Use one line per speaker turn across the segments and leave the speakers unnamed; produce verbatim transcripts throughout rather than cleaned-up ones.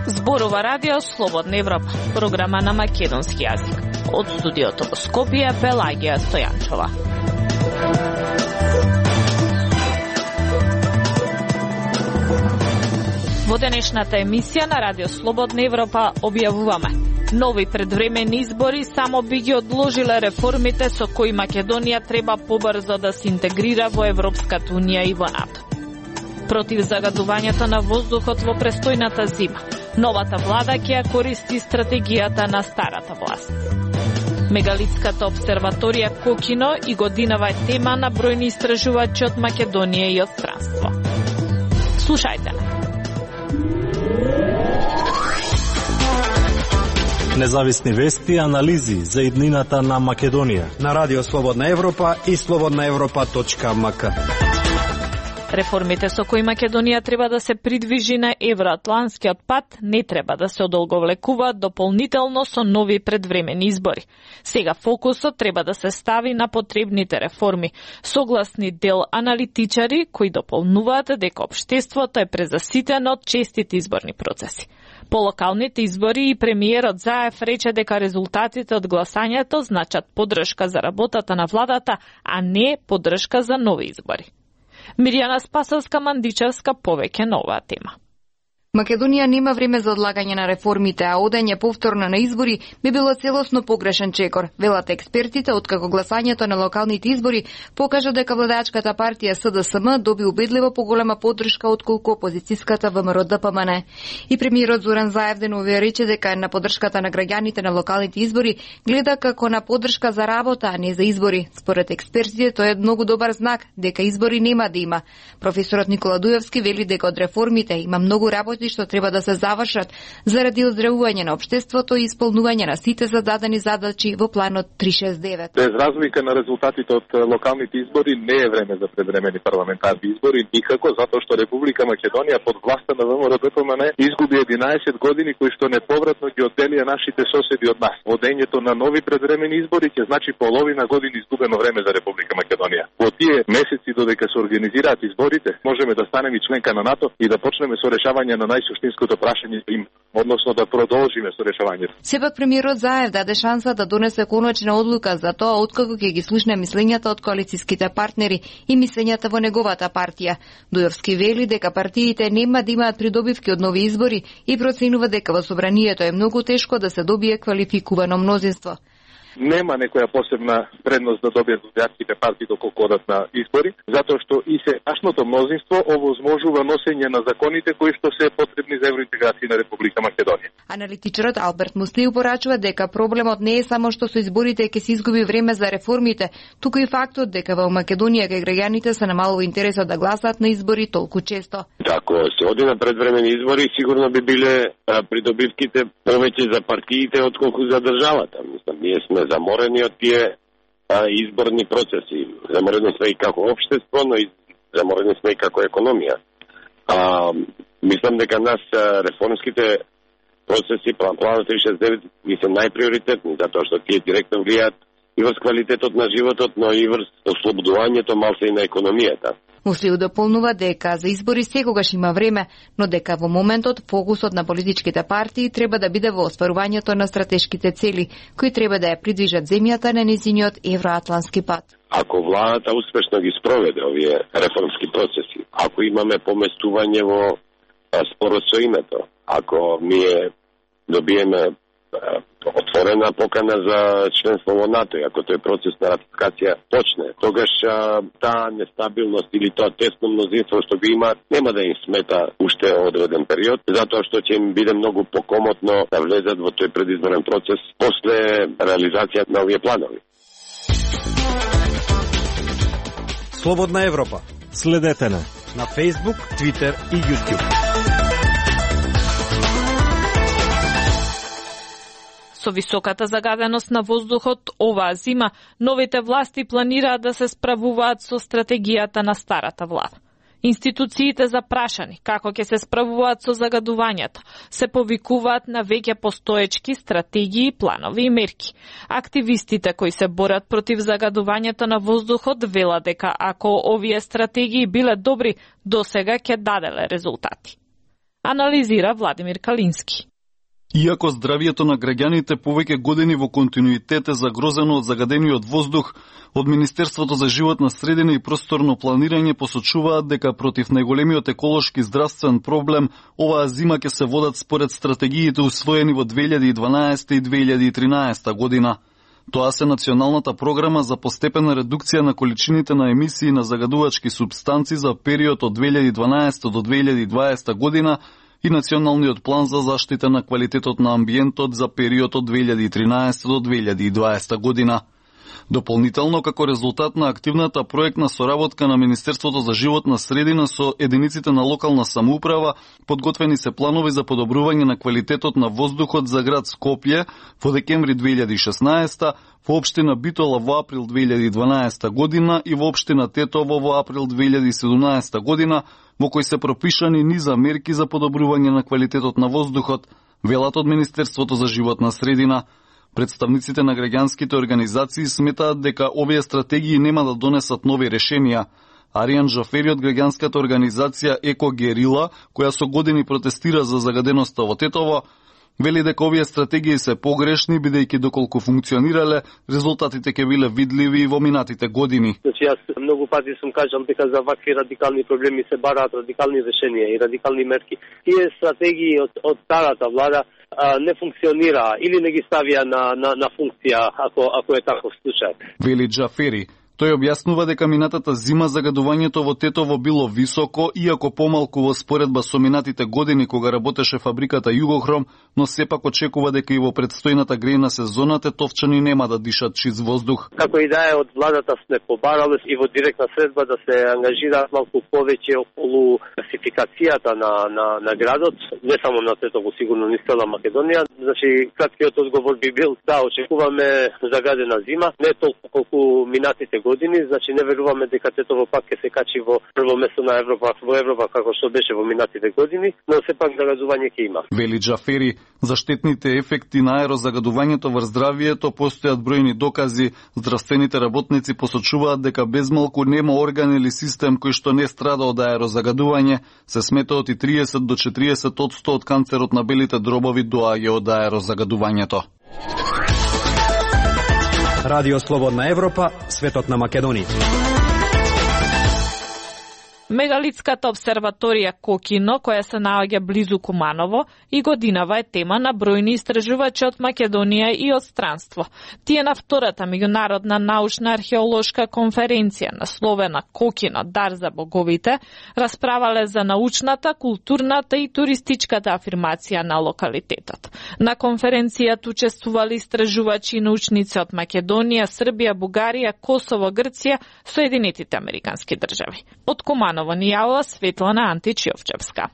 Зборува радио Слободна Европа, програма на македонски јазик. Од студиото во Скопје, Пелагија Стојанчова. Во денешната емисија на Радио Слободна Европа објавуваме: нови предвремени избори само би ги одложиле реформите со кои Македонија треба побрзо да се интегрира во Европската унија и во НАТО. Против загадувањето на воздухот во престојната зима, новата влада ќе ја користи стратегијата на старата власт. Мегалитската обсерваторија Кокино и годинава е тема на бројни истражувачи од Македонија и од странство. Слушајте не.
Независни вести и анализи за иднината на Македонија
на Радио Слободна Европа и слободна европа точка ем ка.
Реформите со кои Македонија треба да се придвижи на евроатланскиот пат не треба да се одолговлекуваат дополнително со нови предвремени избори. Сега фокусот треба да се стави на потребните реформи, согласни дел аналитичари кои дополнуваат дека општеството е презаситено од честите изборни процеси. По локалните избори и премиерот Заев рече дека резултатите од гласањето значат поддршка за работата на владата, а не поддршка за нови избори. Мирјана Спасовска-Мандичевска повеќе на оваа тема.
Македонија нема време за одлагање на реформите, а одење повторно на избори би било целосно погрешен чекор. Велат експертите, откако гласањето на локалните избори покажа дека владачката партија С Д С М доби убедливо поголема поддршка отколку опозицијската В М Р Д П М Н. И премиерот Зоран Заев деновија рече дека на поддршката на граѓаните на локалните избори гледа како на поддршка за работа, а не за избори. Според експертите, тоа е многу добар знак дека избори нема да има. Професорот Никола Дуевски вели дека од реформите има многу работа што треба да се завршат заради оздравување на општеството и исполнување на сите зададени задачи во планот триста шесдесет и девет.
Без разлика на резултатите од локалните избори не е време за предвремени парламентарни избори никако, затоа што Република Македонија под власта на В М Р Д П М Н изгуби единаесет години кои што неповратно ги одделија нашите соседи од нас. Водењето на нови предвремени избори ќе значи половина години изгубено време за Република Македонија. Во тие месеци додека се организираат изборите, можеме да станеме членка на НАТО и да почнеме со решавање на најсуштинското прашање им, односно да продолжиме со решавањето.
Сепак премиерот Заев даде шанса да донесе конечна одлука за тоа откако ќе ги слушне мислењата од коалицијските партнери и мислењата во неговата партија. Дуевски вели дека партиите нема да имаат придобивки од нови избори и проценува дека во собранието е многу тешко да се добие квалификувано мнозинство.
Нема некоја посебна предност да добијат владачките партии доколку одат на избори, затоа што и сегашното мнозинство овозможува носење на законите кои што се потребни за евроинтеграција на Република Македонија.
Аналитичарот Алберт Мусли упорачува дека проблемот не е само што со изборите ќе се изгуби време за реформите, туку и фактот дека во Македонија кај граѓаните се намалува интересот да гласаат на избори толку често.
Ако се оди на предвремени избори, сигурно би биле а, придобивките повеќе за партиите отколку за државата. Мислам, ние сме заморени од тие а, изборни процеси. Заморени сме и како општество, но и заморени сме и како економија. А, мислам дека нас а, реформските процеси, планот триста шесдесет и девет, ги се најприоритетни, затоа што тие директно влијаат и врз квалитетот на животот, но и врз ослободувањето малце и на економијата.
Муслиу дополнува дека за избори секогаш има време, но дека во моментот фокусот на политичките партии треба да биде во остварувањето на стратешките цели, кои треба да ја придвижат земјата на незиниот евроатлански пат.
Ако владата успешно ги спроведе овие реформски процеси, ако имаме поместување во спорот со името, ако ние добиеме отворена покана за членство во НАТО, и ако тој процес на ратификација почне, тогаш а, таа нестабилност или тоа тесно мнозинство што го имаат, нема да им смета уште одреден период, затоа што ќе им биде многу покомотно да влезат во тој предизборен процес после реализација на овие планови.
Слободна Европа.
Следете на
на Facebook, Twitter и YouTube.
Со високата загаденост на воздухот оваа зима, новите власти планираат да се справуваат со стратегијата на старата влада. Институциите запрашани како ќе се справуваат со загадувањето, се повикуваат на веќе постоечки стратегии, планови и мерки. Активистите кои се борат против загадувањето на воздухот велат дека ако овие стратегии биле добри, досега ќе даделе резултати. Анализира Владимир Калински.
Иако здравието на граѓаните повеќе години во континуитет е загрозено од загадениот воздух, од Министерството за животна средина и просторно планирање посочуваат дека против најголемиот еколошки здравствен проблем оваа зима ќе се водат според стратегиите усвоени во две илјади и дванаесета и две илјади и тринаесета година. Тоа се Националната програма за постепена редукција на количините на емисии на загадувачки супстанци за период од две илјади и дванаесета до две илјади и дваесета година и Националниот план за заштита на квалитетот на амбиентот за период од две илјади и тринаесета до две илјади и дваесета година. Дополнително, како резултат на активната проектна соработка на Министерството за животна средина со единиците на локална самоуправа, подготвени се планови за подобрување на квалитетот на воздухот за град Скопје во декември две илјади и шеснаесета, во општина Битола во април две илјади и дванаесета година и во општина Тетово во април две илјади и седумнаесета година, во кои се пропишани низа мерки за подобрување на квалитетот на воздухот, велат од Министерството за животна средина. Представниците на граѓанските организации сметаат дека овие стратегии нема да донесат нови решенија. Аријан Джафери од граѓанската организација Еко Герила, која со години протестира за загаденоста во Тетово, вели дека овие стратегии се погрешни, бидејќи доколку функционирале, резултатите ќе биле видливи во минатите години.
Значи, јас многу пати сум кажал дека за вакви радикални проблеми се бараат радикални решенија и радикални мерки. Тие стратегии од, од старата влада а, не функционира или не ги ставија на, на, на функција, ако, ако е таков случај.
Вели Джафери. Тој објаснува дека минатата зима загадувањето во Тетово било високо, иако помалку во споредба со минатите години кога работеше фабриката Југохром, но сепак очекува дека и во предстојната грејна сезона тетовчани нема да дишат чист воздух.
Како и да е, од владата сме побарале и во директна средба да се ангажираат малку повеќе околу класификацијата на, на, на градот, не само на Тетово, сигурно ни цела Македонија. Значи, краткиот одговор би бил да очекуваме загадена зима, не толку колку минатите години, значи не веруваме дека Тетово пак ќе се качи во прво место на Европа, во Европа како што беше во минатите години, но сепак загадување ќе има.
Вели Джафери, за штетните ефекти на аерозагадувањето врз здравието постојат бројни докази. Здравствените работници посочуваат дека безмалку нема орган или систем кој што не страда од аерозагадување. Се смета од и триесет до четириесет одсто од канцерот на белите дробови доаѓа од аерозагадувањето.
Радио Слободна Европа, светот на Македонија.
Мегалитската обсерваторија Кокино, која се наоѓа близу Куманово, и годинава е тема на бројни истражувачи од Македонија и од странство. Тие на втората меѓународна научна археолошка конференција насловена Кокино, дар за боговите, расправале за научната, културната и туристичката афирмација на локалитетот. На конференцијата учествували истражувачи и научници од Македонија, Србија, Бугарија, Косово, Грција, Соединетите Американски држави. Од Куманово ни јавила Светлана Антич-Јовчевска.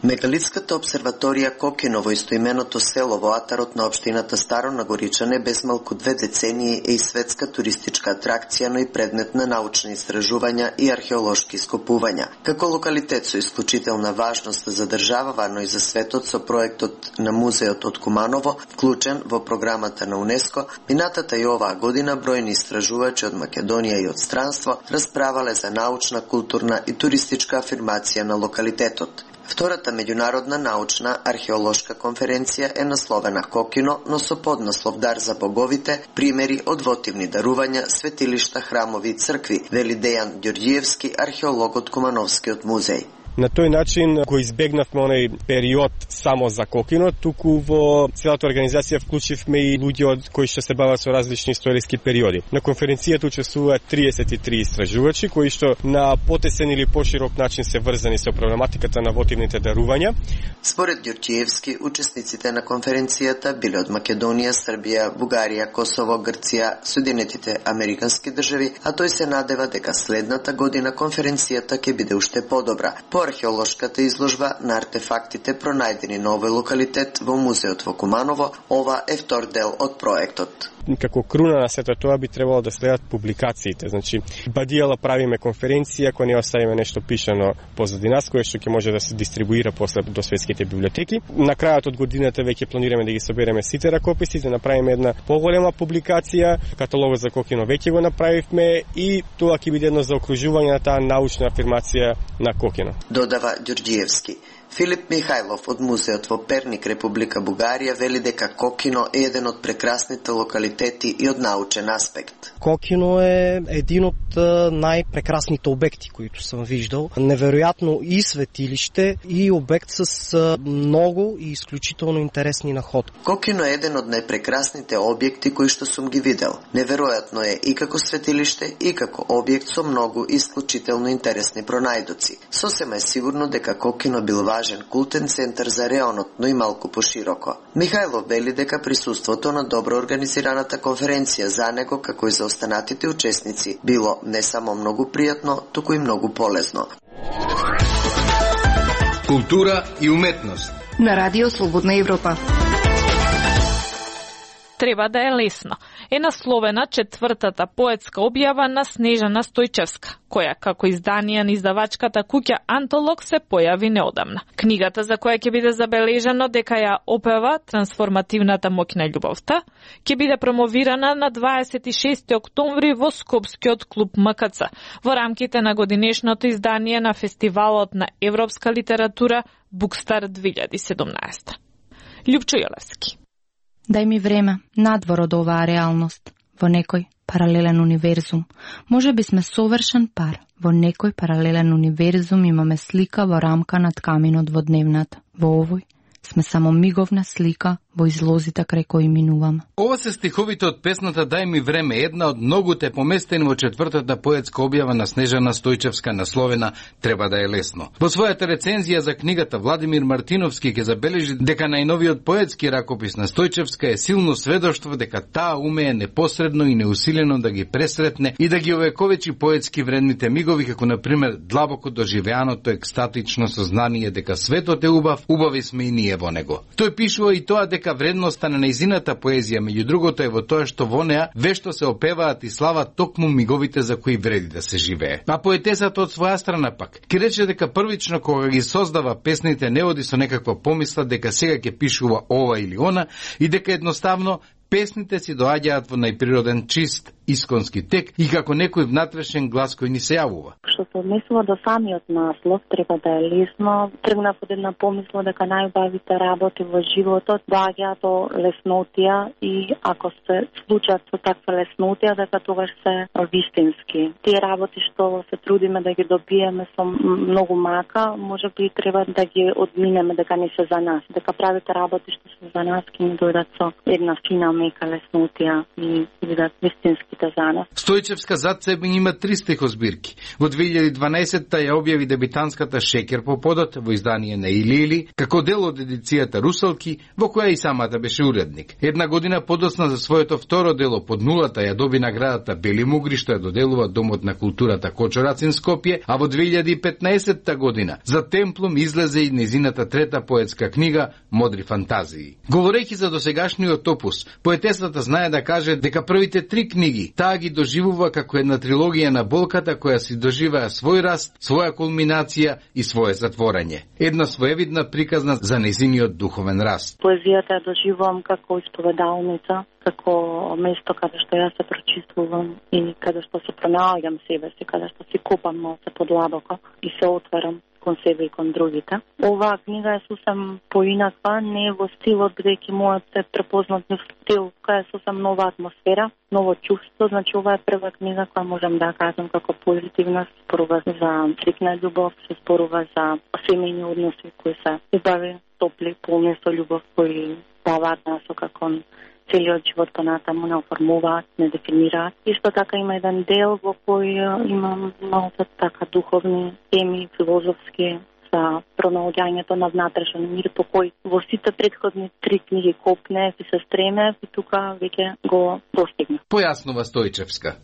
Мегалитската обсерваторија Кокино во истоименото село во атарот на општината Старо Нагоричане без малку две децении е и светска туристичка атракција, но и предмет на научни истражувања и археолошки ископувања. Како локалитет со исклучителна важност за државава, но и за светот со проектот на музеот од Куманово, вклучен во програмата на УНЕСКО, минатата и оваа година бројни истражувачи од Македонија и од странство расправале за научна, културна и туристичка афирмација на локалитетот. Втората меѓународна научна археолошка конференција е насловена Кокино, но со поднаслов Дар за боговите, примери од вотивни дарувања, светилишта, храмови и цркви, вели Дејан Ѓорѓиевски, археолог од Кумановскиот музеј.
На тој начин го избегнавме оној период само за Кокино, туку во целата организација вклучивме и луѓе од кои што се бават со различни историски периоди. На конференцијата учествуваат триесет и три истражувачи кои што на потесен или поширок начин се врзани со проблематиката на вотивните дарувања.
Според Ѓорѓиевски, учесниците на конференцијата биле од Македонија, Србија, Бугарија, Косово, Грција, Соединетите Американски држави, а тој се надева дека следната година конференцијата ќе биде уште подобра. По археолошката изложба на артефактите пронајдени на овој локалитет во музеот во Куманово, ова е втор дел од проектот.
Како круна на сето тоа би требало да следат публикациите. Значи, бадијала правиме конференција, која не оставиме нешто пишано позади нас, кое што ќе може да се дистрибуира после до светските библиотеки. На крајот од годината веќе планираме да ги собереме сите ракописи, да направиме една поголема публикација, каталогот за Кокино веќе го направивме и тоа ќе биде едно заокружување на таа научна афирмација на Кокино.
Додава Ѓорѓиевски. Филип Михајлов од музеот во Перник, Република Бугарија, вели дека Кокино е еден од прекрасните локалитети и од научен аспект.
Кокино е един од најпрекрасните обекти които сам виждал. Неверојатно и светилиште и обект с многу и исклучително интересни находки.
Кокино е еден од најпрекрасните објекти кои што сум ги видел. Неверојатно е и како светилиште и како објект со многу исклучително интересни пронајдоци. Сосема е сигурно дека Кокино бил важен култен центар за реонот, но и малку пошироко. Михајлов вели дека присуството на добро организираната конференција за него, како и за останатите учесници, било не само многу пријатно, туку и многу полезно.
Култура и уметност
на Радио Слободна Европа.
Треба да е лесно е насловена четвртата поетска објава на Снежана Стојчевска, која како издание на издавачката куќа Антолог се појави неодамна. Книгата, за која ќе биде забележано дека ја опева трансформативната моќ на љубовта, ќе биде промовирана на дваесет и шести октомври во Скопскиот клуб М К Ц во рамките на годинешното издание на фестивалот на европска литература Букстар две илјади и седумнаесета. Љупчо Јолевски.
Дај ми време, надвор од оваа реалност, во некој паралелен универзум. Може би сме совршен пар. Во некој паралелен универзум имаме слика во рамка над каминот во дневната. Во овој сме само миговна слика во излозите крај кои минуваме.
Ова се стиховите од песната Дај ми време, една од многуте поместени во четвртата поетска објава на Снежана Стојчевска насловена Треба да е лесно. Во својата рецензија за книгата Владимир Мартиновски ќе забележи дека најновиот поетски ракопис на Стојчевска е силно сведоштво дека таа умее непосредно и неусилено да ги пресретне и да ги овековечи поетски вредните мигови, како на пример длабоко доживеаното екстатично сознание дека светот е убав, убави сме и ние во него. Тој пишува и тоа дека вредноста на нејзината поезија, меѓу другото, е во тоа што во неа вешто се опеваат и слават токму миговите за кои вреди да се живее. А поетесата од своја страна пак ќе рече дека првично кога ги создава песните не оди со некаква помисла дека сега ќе пишува ова или она и дека едноставно песните си доаѓаат во најприроден чист исконски тек и како некој внатрешен глас кој ни се јавува.
Што се однесува до самиот наслов, треба да е лесно. Тргнав од една помисла дека најубавите работи во животот доаѓаат до леснотија и ако се случат со таква леснотија, дека тогаш се вистински. Тие работи што се трудиме да ги добиеме со многу мака, може би треба да ги одминеме дека не се за нас, дека правите работи што се за нас ќе ни дојдат со една фина мека леснотија и бидат вистински.
Стојчевска зад себе има три стихозбирки. Во две илјади и дванаесетта ја објави дебитанската Шекер по подот во издание на Или Или, како дел од едицијата Русалки, во која и самата беше уредник. Една година подосна за своето второ дело Под нулата ја доби наградата Бели мугри, што ја доделува Домот на културата Кочорацин Скопје, а во две илјади и петнаесетта година за Темплум излезе и незината трета поетска книга Модри фантазии. Говорејќи за досегашниот опус, поетесата знае да каже дека првите три книги таа ги доживува како една трилогија на болката која си доживеа свој раст, своја кулминација и свое затворање. Една своевидна приказна за незиниот духовен раст.
Поезијата ја доживувам како исповедалница, како место каде што јас се прочиствувам и каде што се пронаоѓам себе си, каде што си копам малце подлабоко и се отварам кон себе и кон другите. Оваа книга е сосем поинаква, не е во стилот бидејќи мојот е препознат стил, која е сосем нова атмосфера, ново чувство, значи ова е прва книга која можам да кажам како позитивна, спорува за стрикна љубов, се спорува за семејни односи кои се убави, топли, полни со љубов, кои даваат насока кон целиот живот понатаму, не оформуваат, не дефинираат. Исто така има еден дел во кој имам малку така духовни теми, филозофски, за пронаоѓањето на внатрешен мир, по кој во сите претходни три книги копне и се стреме и тука веќе го достигна.
Појаснува Стојчевска.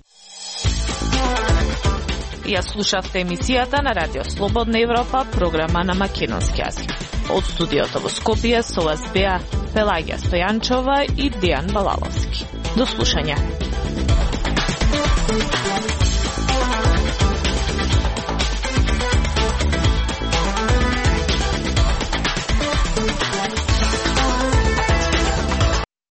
Ја слушавте емисијата на Радио Слободна Европа, програма на македонски јазик. Од студиото во Скопје со вас беа Пелагија Стојанчова и Дијан Балаловски. До слушање.